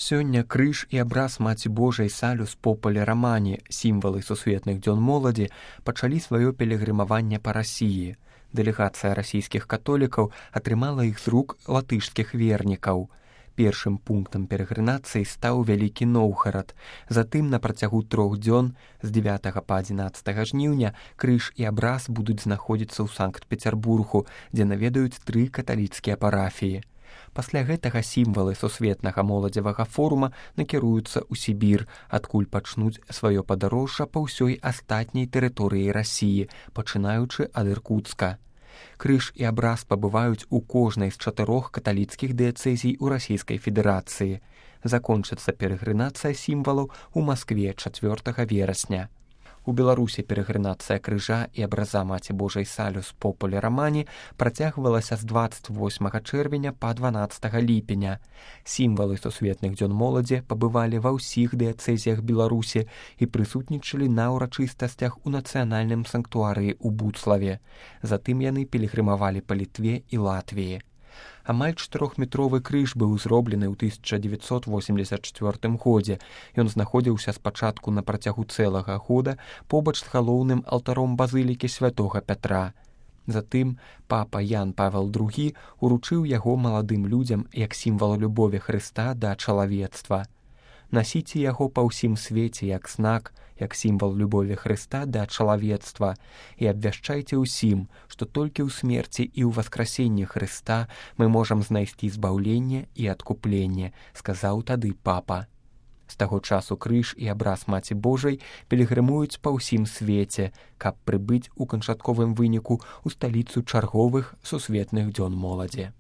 Сёння крыж і абраз Маці Божай Салюс Популе Романе, сімвалы сусветных дзён моладзі, пачалі сваё пілігрымаванне па Расіі. Дэлегацыя расійскіх католікаў атрымала іх з рук латышскіх вернікаў. Першым пунктам пілігрымацыі стаў Вялікі Новгарад. Затым на працягу 3 дзён з 9 па 11 жніўня крыж і абраз будуць знаходзіцца ў Санкт-Пецярбургу, дзе наведаюць 3 каталіцкія парафіі. Пасля гэтага сімвалы сусветнага моладзевага форума накіруюцца ў Сібір, адкуль пачнуць сваё падарожжа па ўсёй астатняй тэрыторыі Расіі, пачынаючы ад Іркутска. Крыж і абраз пабываюць у кожнай з 4 каталіцкіх дыяцэзій у Расійскай Федэрацыі. Закончыцца пілігрымацыя сімвалаў у Маскве 4 верасня. У Беларусі пілігрымацыя крыжа і абраза Маці Божай Салюс Популе Романе працягвалася з 28 чэрвеня па 12 ліпеня. Сімвалы сусветных дзён моладзі пабывалі ва ўсіх дыяцэзіях Беларусі і прысутнічалі на ўрачыстасцях у нацыянальным санктуарыі ў Буцлаве. Затым яны пілігрымавалі па Літве і Латвіі. Амаль 4-метровы крыж быў зроблены ў 1984 годзе. Ён знаходзіўся спачатку на працягу цэлага года побач з галоўным алтаром базылікі святога Пятра. Затым папа Ян Павел II уручыў яго маладым людзям як сімвал любові Хрыста да чалавецтва. Насіце яго па ўсім свеце як знак, як сімвал любові Хрыста да чалавецтва і абвяшчайце ўсім, што толькі ў смерці і ў васкрасенні Хрыста мы можам знайсці збаўленне і адкупленне, сказаў тады папа. З таго часу крыж і абраз Маці Божай пілігрымуюць па ўсім свеце, каб прыбыць у канчатковым выніку ў сталіцу чарговых сусветных дзён моладзі.